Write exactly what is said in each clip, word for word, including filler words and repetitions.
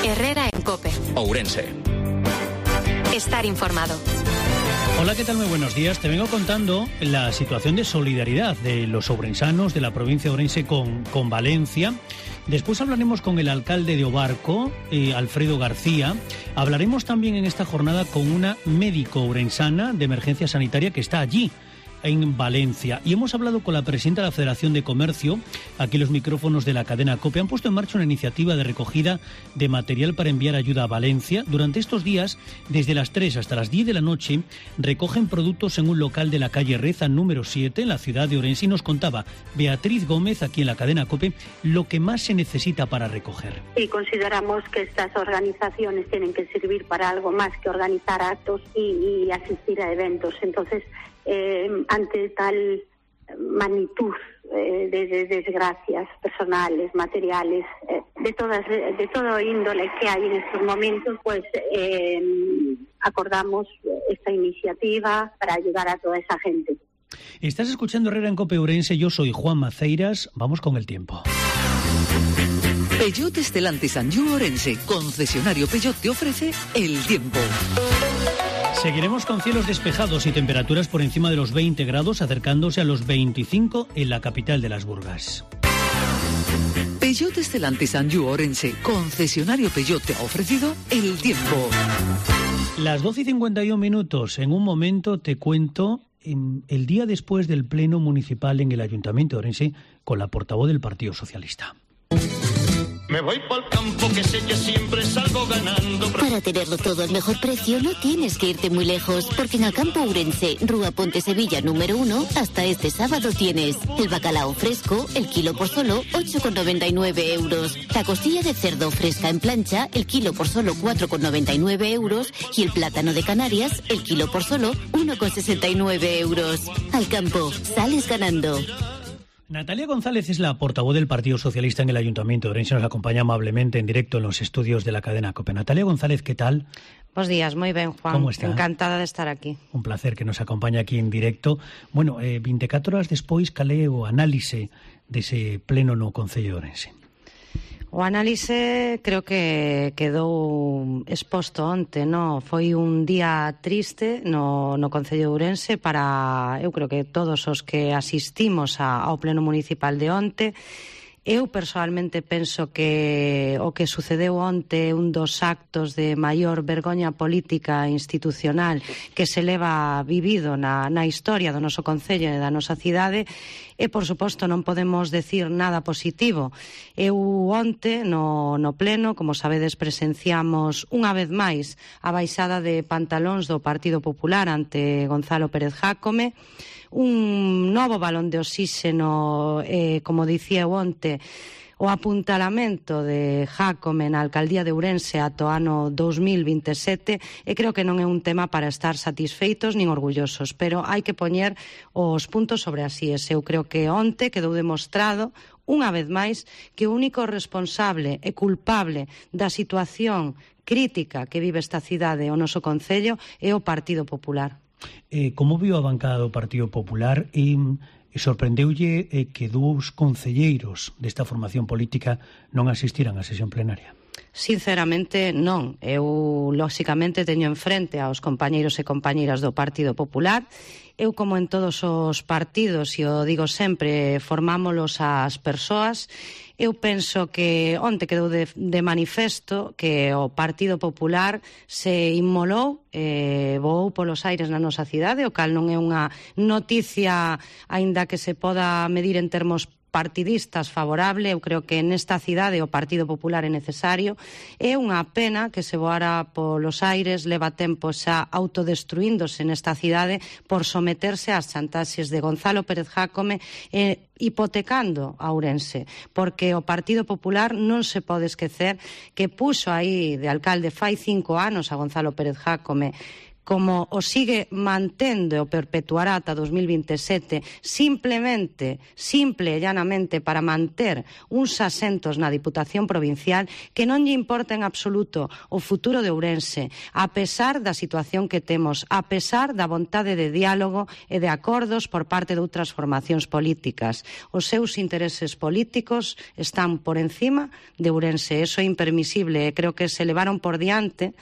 Herrera en COPE. Ourense. Estar informado. Hola, ¿qué tal? Muy buenos días. Te vengo contando la situación de solidaridad de los ourensanos de la provincia de Ourense con, con Valencia. Después hablaremos con el alcalde de Obarco, eh, Alfredo García. Hablaremos también en esta jornada con una médico ourensana de emergencia sanitaria que está allí, en Valencia. Y hemos hablado con la presidenta de la Federación de Comercio. Aquí los micrófonos de la cadena COPE han puesto en marcha una iniciativa de recogida de material para enviar ayuda a Valencia. Durante estos días, desde las tres hasta las diez de la noche, recogen productos en un local de la calle Reza número siete, en la ciudad de Ourense. Y nos contaba Beatriz Gómez, aquí en la cadena COPE, lo que más se necesita para recoger. Y consideramos que estas organizaciones tienen que servir para algo más que organizar actos y, y asistir a eventos. Entonces, Eh, ante tal magnitud eh, de, de desgracias personales, materiales, eh, de todas de todo índole que hay en estos momentos, pues eh, acordamos esta iniciativa para ayudar a toda esa gente. Estás escuchando Herrera en COPE Ourense, yo soy Juan Maceiras, vamos con el tiempo. Peugeot Stellantis Anjou Ourense, concesionario Peugeot, te ofrece el tiempo. Seguiremos con cielos despejados y temperaturas por encima de los veinte grados, acercándose a los veinticinco en la capital de las Burgas. Peugeot Stellantis Anjou Ourense, concesionario Peugeot, te ha ofrecido el tiempo. Las doce y cincuenta y un minutos. En un momento te cuento el día después del pleno municipal en el Ayuntamiento de Ourense con la portavoz del Partido Socialista. Me voy pa'l campo que sé que siempre salgo ganando. Para tenerlo todo al mejor precio no tienes que irte muy lejos, porque en Acampo Ourense, Rúa Ponte Sevilla número uno, hasta este sábado tienes el bacalao fresco, el kilo por solo ocho con noventa y nueve euros. La costilla de cerdo fresca en plancha, el kilo por solo cuatro con noventa y nueve euros. Y el plátano de Canarias, el kilo por solo uno con sesenta y nueve euros. Al campo, sales ganando. Natalia González es la portavoz del Partido Socialista en el Ayuntamiento de Ourense. Nos acompaña amablemente en directo en los estudios de la cadena COPE. Natalia González, ¿qué tal? Buenos días, muy bien, Juan. ¿Cómo está? Encantada de estar aquí. Un placer que nos acompañe aquí en directo. Bueno, eh, veinticuatro horas despois, cal é o análise dese pleno no Concello de Ourense? O análise creo que quedou exposto onte, no? Foi un día triste no, no Concello de Ourense para, eu creo que todos os que asistimos a, ao pleno municipal de onte. Eu personalmente penso que o que sucedeu onte é un dos actos de maior vergoña política e institucional que se leva vivido na, na historia do noso concello e da nosa cidade. E, por suposto, non podemos decir nada positivo. Eu onte, no, no pleno, como sabedes, presenciamos unha vez máis a baixada de pantalóns do Partido Popular ante Gonzalo Pérez Jácome, un novo balón de oxíxeno, eh, como dicía eu onte, o apuntalamento de Jácome na alcaldía de Ourense ata o ano dos mil vinte e sete, e creo que non é un tema para estar satisfeitos nin orgullosos, pero hai que poñer os puntos sobre as íes. Eu creo que onte quedou demostrado unha vez máis que o único responsable e culpable da situación crítica que vive esta cidade, o noso concello, é o Partido Popular. Eh, como viu a bancada do Partido Popular e, e sorprendeulle eh, que dous concelleiros desta formación política non asistiran á sesión plenaria? Sinceramente, non. Eu, lóxicamente, teño enfrente aos compañeiros e compañeiras do Partido Popular. Eu, como en todos os partidos, e o digo sempre, formámolos as persoas. Eu penso que onte quedou de, de manifesto que o Partido Popular se inmolou, eh, voou polos aires na nosa cidade, o cal non é unha noticia, aínda que se poda medir en termos partidistas favorable. Eu creo que nesta cidade o Partido Popular é necesario. É unha pena que se voara polos aires, leva tempo xa autodestruíndose nesta cidade por someterse ás chantaxes de Gonzalo Pérez Jácome e hipotecando a Ourense, porque o Partido Popular non se pode esquecer que puxo aí de alcalde fai cinco anos a Gonzalo Pérez Jácome como o sigue mantendo e o perpetuará ata dos mil vinte e sete, simplemente, simple e llanamente para manter uns asentos na Diputación Provincial que non lle importa en absoluto o futuro de Ourense, a pesar da situación que temos, a pesar da vontade de diálogo e de acordos por parte de outras formacións políticas. Os seus intereses políticos están por encima de Ourense. Eso é impermisible e creo que se levaron por diante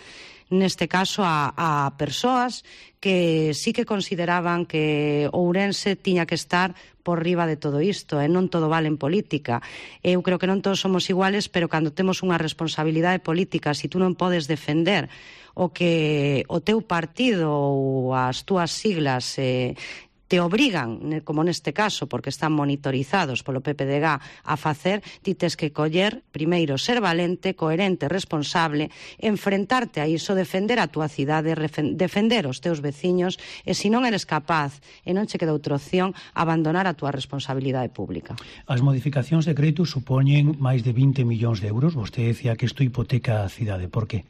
neste caso a, a persoas que sí que consideraban que Ourense tiña que estar por riba de todo isto, e non todo vale en política. Eu creo que non todos somos iguales, pero cando temos unha responsabilidade política, se tú non podes defender o que o teu partido ou as túas siglas eh, te obrigan, como neste caso, porque están monitorizados polo P P D G a facer, ti tes que coller, primeiro, ser valente, coherente, responsable, enfrentarte a iso, defender a túa cidade, defender os teus veciños, e se non eres capaz, e non che queda outra opción, abandonar a túa responsabilidade pública. As modificacións de crédito supoñen máis de vinte millóns de euros. Vostede decía que isto hipoteca a cidade. Por que?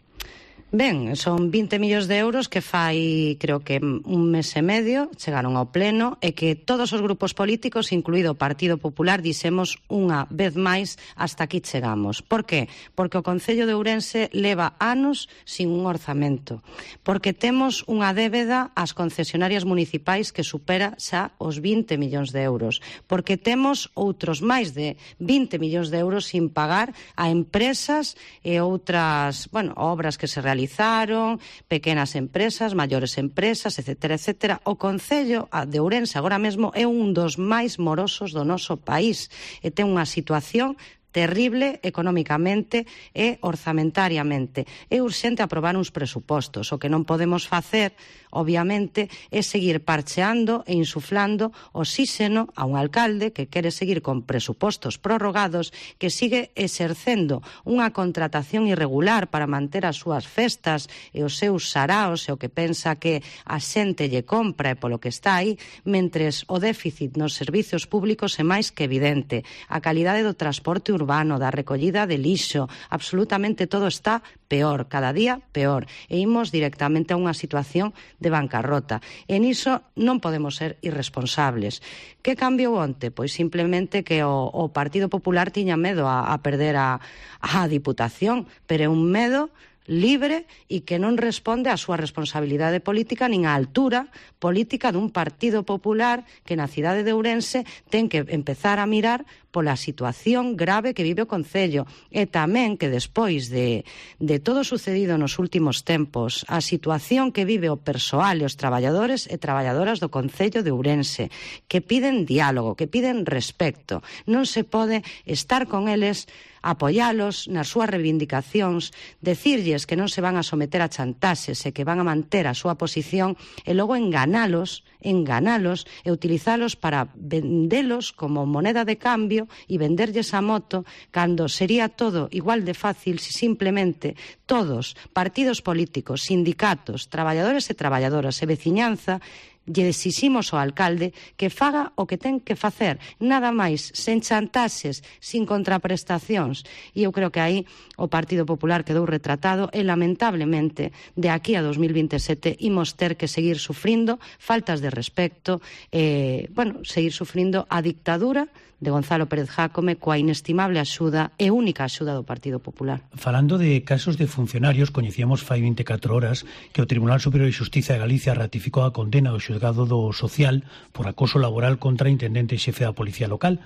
Ben, son vinte millóns de euros que fai, creo que un mes e medio, chegaron ao pleno, e que todos os grupos políticos, incluído o Partido Popular, dixemos unha vez máis hasta aquí chegamos. Por que? Porque o Concello de Ourense leva anos sin un orzamento. Porque temos unha débeda ás concesionarias municipais que supera xa os vinte millóns de euros. Porque temos outros máis de vinte millóns de euros sin pagar a empresas e outras, bueno, obras que se realizan realizaron, pequenas empresas, maiores empresas, etcétera, etcétera. O Concello de Ourense agora mesmo é un dos máis morosos do noso país e ten unha situación terrible económicamente e orzamentariamente. É urxente aprobar uns presupostos. O que non podemos facer, obviamente, é seguir parcheando e insuflando oxíxeno a un alcalde que quere seguir con presupostos prorrogados, que sigue exercendo unha contratación irregular para manter as súas festas e os seus saraos e o que pensa que a xente lle compra e polo que está aí, mentres o déficit nos servizos públicos é máis que evidente. A calidade do transporte urbano, da recollida de lixo, absolutamente todo está peor, cada día peor, e imos directamente a unha situación de bancarrota. E niso non podemos ser irresponsables. Que cambiou onte? Pois simplemente que o, o Partido Popular tiña medo a, a perder a, a Diputación, pero é un medo libre e que non responde á súa responsabilidade política nin á altura política dun Partido Popular que na cidade de Ourense ten que empezar a mirar pola situación grave que vive o Concello e tamén que despois de, de todo sucedido nos últimos tempos, a situación que vive o persoal e os traballadores e traballadoras do Concello de Ourense, que piden diálogo, que piden respecto. Non se pode estar con eles, apoialos nas súas reivindicacións, decirlles que non se van a someter a chantaxes e que van a manter a súa posición e logo enganalos, enganalos e utilizalos para vendelos como moneda de cambio e venderlles a moto cando sería todo igual de fácil se simplemente todos, partidos políticos, sindicatos, traballadores e traballadoras e veciñanza, lle exiximos ao alcalde que faga o que ten que facer, nada máis, sen chantaxes, sin contraprestacións. E eu creo que aí o Partido Popular quedou retratado e, lamentablemente, de aquí a dos mil vinte e sete imos ter que seguir sufrindo faltas de respecto, eh, bueno, seguir sufrindo a dictadura de Gonzalo Pérez Jácome coa inestimable axuda e única axuda do Partido Popular. Falando de casos de funcionarios, coñecíamos fai veinticuatro horas que o Tribunal Superior de Xustiza de Galicia ratificou a condena do xulgado do Social por acoso laboral contra a intendente xefe da Policía Local,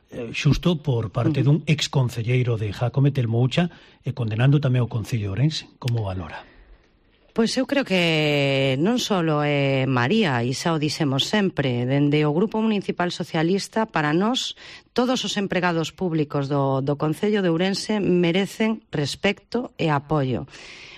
eh, xusto por parte dun exconcelleiro de Jácome, Telmo Ucha, e condenando tamén o Concello de Ourense. Como valora? Pois eu creo que non só é María, e xa o dixemos sempre, dende o Grupo Municipal Socialista, para nós, todos os empregados públicos do, do Concello de Ourense merecen respecto e apoio.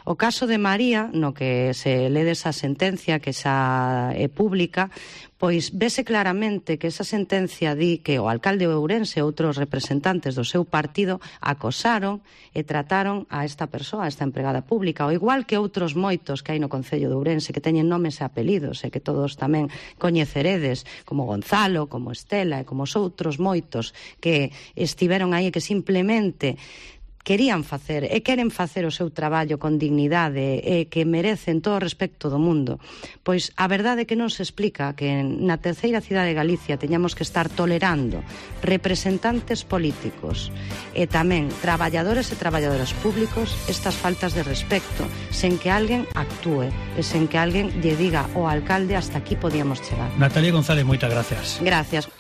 O caso de María, no que se lede esa sentencia que xa é pública, pois vese claramente que esa sentencia di que o alcalde de Ourense e outros representantes do seu partido acosaron e trataron a esta persoa, a esta empregada pública, ao igual que outros moitos que hai no Concello de Ourense que teñen nomes e apelidos e que todos tamén coñeceredes, como Gonzalo, como Estela e como os outros moitos que estiveron aí e que simplemente querían facer e queren facer o seu traballo con dignidade e que merecen todo o respecto do mundo, pois a verdade é que non se explica que na terceira cidade de Galicia teñamos que estar tolerando representantes políticos e tamén traballadores e traballadoras públicos estas faltas de respecto sen que alguén actúe e sen que alguén lle diga ao alcalde hasta aquí podíamos chegar. Natalia González, moitas gracias. Gracias.